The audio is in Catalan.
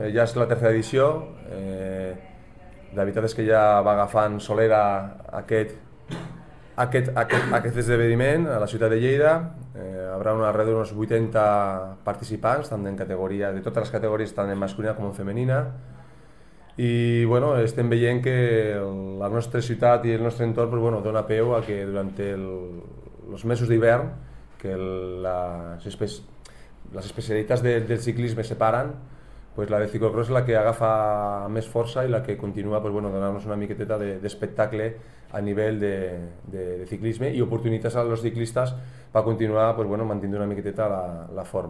Ja és la tercera edició, la veritat és que ja va agafant solera aquest esdeveniment a la ciutat de Lleida. Hi haurà d'uns 80 participants, tant de totes les categories, tant en masculina com en femenina. I bueno, estem veient que la nostra ciutat i el nostre entorn dona peu a que durant els mesos d'hivern, que les especialitats del ciclisme separen, la de ciclocross és la que agafa més força i la que continua donant-nos una miqueteta d'espectacle a nivell de ciclisme i oportunitats als ciclistes per continuar mantenint una miqueteta la forma.